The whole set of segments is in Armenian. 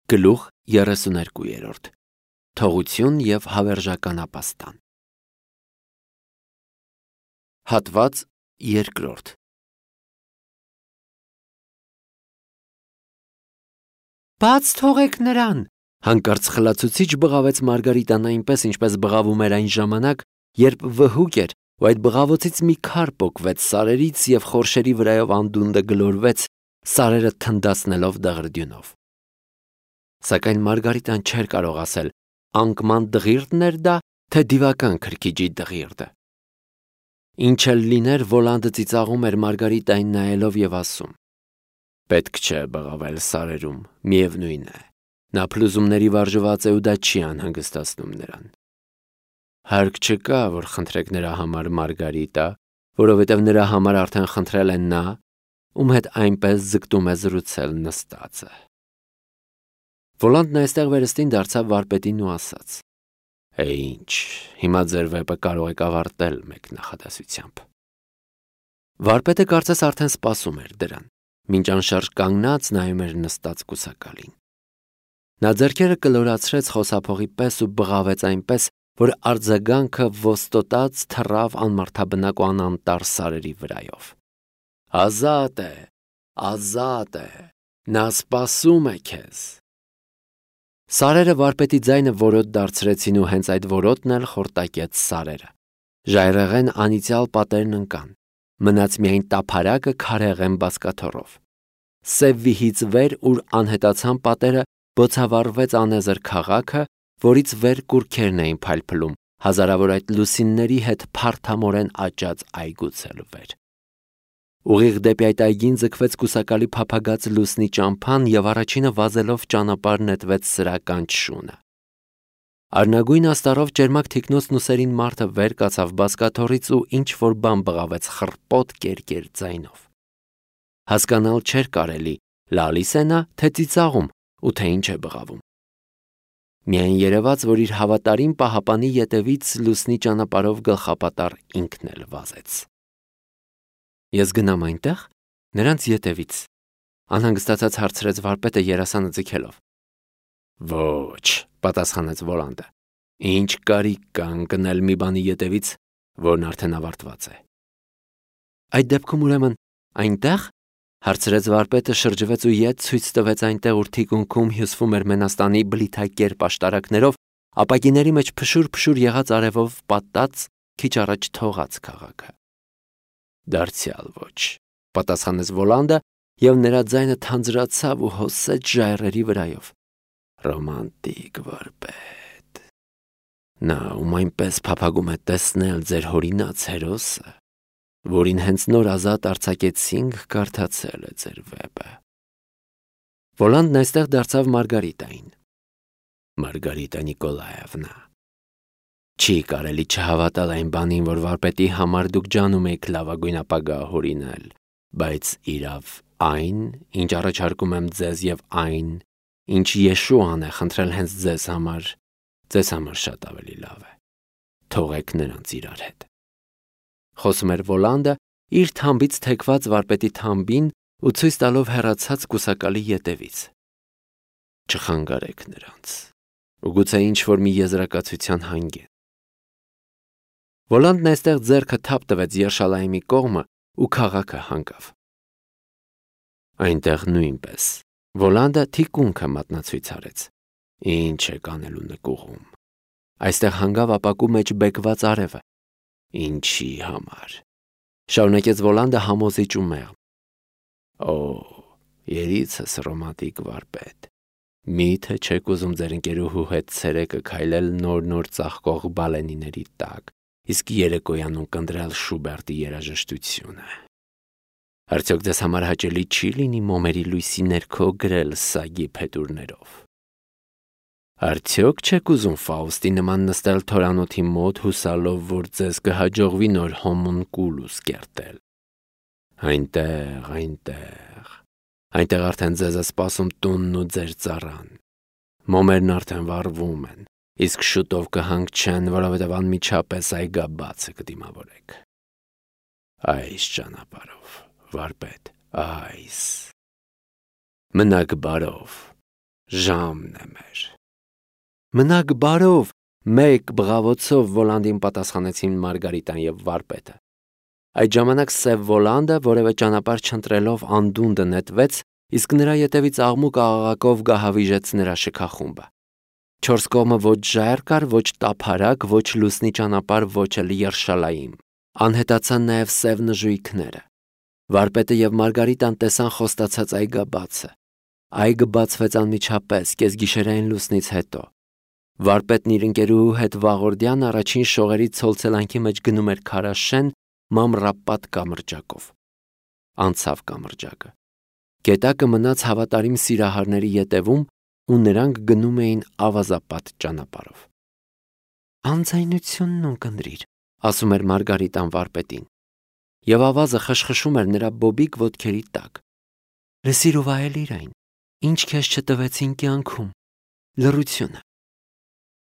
Գլուխ 32 Թողություն և հավերժական ապաստան Հատված 2 Բաց թողեք նրան, հանկարծ խլացուցիչ բղավեց Մարգարիտան այնպես, ինչպես բղավում էր այն ժամանակ, երբ վհուկ էր, ու այդ բղավոցից մի քար պոկվեց սարերից և խորշերի վրայով անդունդը գլորվեց, սարերը թնդացնելով դղրդյունով։ Սակայն Մարգարիտան չէր կարող ասել, անկման դղիրդն էր դա, թե դիվական քրքիջի դղիրդը։ Ինչ էլ լիներ, Վոլանդը ծիծաղում էր Մարգարիտային նայելով և ասում. Պետք չէ բղավել սարերում, միևնույն է, նա փլուզումների վարժված է ու դա չի անհանգստացնում նրան։ Հարկ չկա, որ խնդրեք նրա համար Մարգարիտա, որովհետև նրա համար արդեն խնդրել են նա, ում հետ այնպես ձգտում է զրուցել նստածը։ Վոլանդն այստեղ վերստին դարձավ վարպետին ու ասաց. Ինչ, հիմա ձեր վեպը կարող եք ավարտել մեկ նախադասությամբ։ Վարպետը կարծես արդեն սպասում էր դրան, մինչ անշարժ կանգնած նայում էր նստած կուսակալին։ Նա ձեռքերը կլորացրեց խոսափողի պես ու բղավեց այնպես, որ արձագանքը ոստոտած թռավ անմարդաբնակ ու անանտառ սարերի վրայով։ Ազատ է, ազատ է, նա սպասում է քեզ։ Սարերը վարպետի ձայնը որոտ դարձրեցին ու հենց այդ որոտն էլ խորտակեց սարերը։ Ժայռեղեն անիծյալ պատերն ընկան, մնաց միայն տափարակը քարեղեն բազկաթոռով։ Սև վիհից վեր, ուր անհետացան պատերը, բոցավառվեց անեզր քաղաքը, որից վեր կուռքերն էին փայլփլում, հազարավոր այդ լուսինների հետ փարթամորեն աճած այգուց էլ վեր։ Ուղիղ դեպի այդ այգին ձգվեց կուսակալի փափագած լուսնի ճամփան և առաջինը վազելով ճանապարհ նետվեց սրական շունը։ Արնագույն աստառով ճերմակ թիկնոցն ու սերին մարդը վեր կացավ բազկաթոռից ու ինչ-որ բան բղավեց խռպոտ կերկեր ձայնով։ Հասկանալ չէր կարելի, լալիս է նա, թե ծիծաղում, ու թե ինչ է բղավում։ Միայն երևաց, որ իր հավատարիմ պահապանի ետևից լուսնի ճանապարհով գլխապատառ ինքն էլ վազեց։ Ես գնամ այնտեղ, նրանց ետևից, անհանգստացած հարցրեց վարպետը երասանը ձգելով։ Ոչ, պատասխանեց Վոլանդը, ինչ կարիք կա ընկնել մի բանի ետևից, որն արդեն ավարտված է։ Այդ դեպքում ուրեմն այնտեղ, հարցրեց վարպետը, շրջվեց ու ետ ցույց տվեց այնտեղ, ուր թիկունքում հյուսվում էր Մենաստանի բլիթակերպ աշտարակներով, ապակիների մեջ փշուր-փշուր եղած արևով պատած, քիչ առաջ թողած քաղաքը։ Դարձյալ ոչ, պատասխանեց Վոլանդը, և նրա ձայնը թանձրացավ ու հոսեց ժայռերի վրայով։ Ռոմանտիկ վարպետ։ Նա, ում այնպես փափագում է տեսնել ձեր հորինած հերոսը, որին հենց նոր ազատ արձակեցինք, կարդացել է ձեր վեպը։ Վոլանդն այստեղ դարձավ Մարգարիտային։ Մարգարիտա Նիկոլաևնա, չի կարելի չհավատալ այն բանին, որ վարպետի համար դուք ջանում եք լավագույն ապագա հորինել, բայց իրավ այն, ինչ առաջարկում եմ ձեզ և այն, ինչ Եշուան է խնդրել հենց ձեզ համար շատ ավելի լավ է։ Թողեք նրանց իրար հետ։ Խոսում էր Վոլանդը, իր թամբից թեքված վարպետի թամբին ու ցույց տալով հեռացած կուսակալի ետևից։ Չխանգարեք նրանց, ու գուցե ինչ-որ մի եզրակացության հանգեն։ Վոլանդն այստեղ ձեռքը թափ տվեց Երշալայեմի կողմը ու քաղաքը հանգավ։ Այնտեղ նույնպես Վոլանդը թիկունքը մատնացույց արեց։ Ինչ է կանելու նկուղում։ Այստեղ հանգավ ապակու մեջ բեկված արևը։ Ինչի համար։ Շարունակեց Վոլանդը համոզիչ ու մեղմ։ Օ, երիցս ռոմանտիկ վարպետ։ Միթե չեք ուզում ձեր ընկերուհու հետ ցերեկը քայլել նոր ծաղկող բալենիների տակ, իսկ երեկոյանում կընտրել Շուբերտի երաժշտությունը։ Արդյոք ձեզ համար հաճելի չի լինի մոմերի լույսի ներքո գրել սագի փետուրներով։ Արդյոք չեք ուզում Ֆաուստի նման նստել թորանոթի մոտ հուսալով, որ ձեզ կհաջողվի նոր հոմունկուլուս կերտել։ Այնտեղ արդեն ձեզ է սպասում տունն ու ձեր ծառան։ Մոմերն արդեն վառվում են, իսկ շուտով կհանգչեն, որովհետև անմիջապես այգաբացը կդիմավորեք։ Այս ճանապարհով, վարպետ, այս։ Մնաք բարով, Ժամն է մեր։ Մնաք բարով, մեկ բղավոցով Վոլանդին պատասխանեցին Մարգարիտան եւ վարպետը։ Այդ ժամանակ սև Վոլանդը որևէ ճանապարհ չընտրելով անդունդը նետվեց, իսկ նրա ետևից աղմուկ աղաղակով գահավիժեց նրա շքախումբը։ Չորս կողմը ոչ ժայռ կար, ոչ տափարակ, ոչ լուսնի ճանապարհ, ոչ էլ երշալայիմ։ Անհետացան նաև սև նժույգները։ Վարպետը եւ Մարգարիտան տեսան խոստացած այգաբացը։ Այգը բացվեց անմիջապես կեսգիշերային լուսնից հետո։ Վարպետն իր ընկերուհու հետ վաղորդյան առաջին շողերի ցոլցելանքի մեջ գնում էր քարաշեն մամռապատ կամրջակով։ Անցավ կամրջակը։ Գետակը մնաց հավատարիմ սիրահարների ետևում ու նրանք գնում էին ավազապատ ճանապարհով։ Անձայնությունն ունկնդրիր, ասում էր Մարգարիտան վարպետին, եւ ավազը խշխշում էր նրա բոբիկ ոտքերի տակ։ Լսիր ու վայելիր այն, ինչ քեզ չտվեցին կյանքում, լռությունը։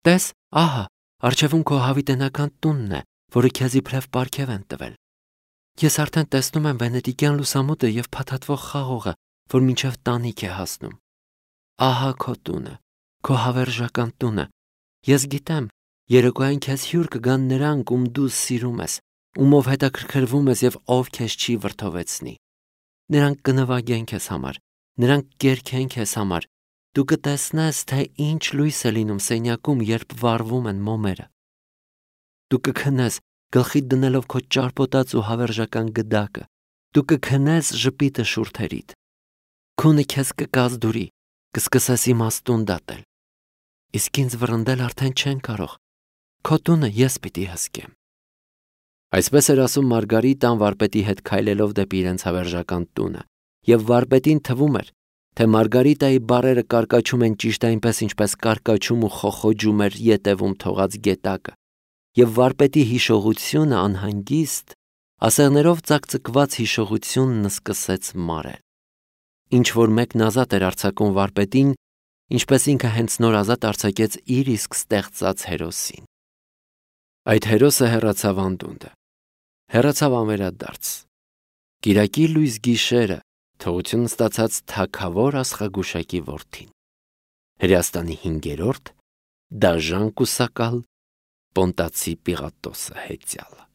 Տես, ահա, առջևում քո հավիտենական տունն է, որը քեզ իբրև պարգև են տվել։ Ես արդեն տեսնում եմ վենետիկյան լուսամուտը եւ փաթաթվող խաղողը, որ մինչև տանիք է հասնում։ Ահա քո տունը, քո հավերժական տունը։ Ես գիտեմ, երեկոյան քեզ հյուր կգան նրանք, ում դու սիրում ես, ումով հետաքրքրվում ես եւ ով քեզ չի վրդովեցնի։ Նրանք կնվագեն քեզ համար, նրանք կերքեն քեզ համար։ Դու կտեսնես, թե ինչ լույս է լինում սենյակում, երբ վառվում են մոմերը։ Դու կքնես, գլխիդ դնելով քո ճարպոտած ու հավերժական գդակը։ Դու կքնես ժպիտը շուրթերիդ։ Քունը քեզ կկազդուրի, կսկսես իմաստուն դատել։ Իսկ ինձ վռնդել արդեն չեն կարող։ Քո տունը ես պիտի հսկեմ։ Այսպես էր ասում Մարգարիտան վարպետի հետ քայլելով դեպի իրենց հավերժական տունը, եւ վարպետին թվում էր, թե Մարգարիտայի բառերը կարկաչում են ճիշտ այնպես, ինչպես կարկաչում ու խոխոջում էր ետևում թողած գետակը, եւ վարպետի հիշողությունը անհանգիստ, ասեղներով ծակծկված հիշողությունն սկսեց մարել։ Ինչ որ մեկն ազատ էր արձակում վարպետին, ինչպես ինքը հենց նոր ազատ արձակեց իր իսկ ստեղծած հերոսին։ Այդ հերոսը հեռացավ անդունդը, հեռացավ անվերադարձ։ Կիրակի լույս գիշերը թողություն ստացած թագավոր աստղագուշակի որդին։ Հրեաստանի 5-րդ դաժան կուսակալ Պոնտացի Պիղատոսը հեծյալը։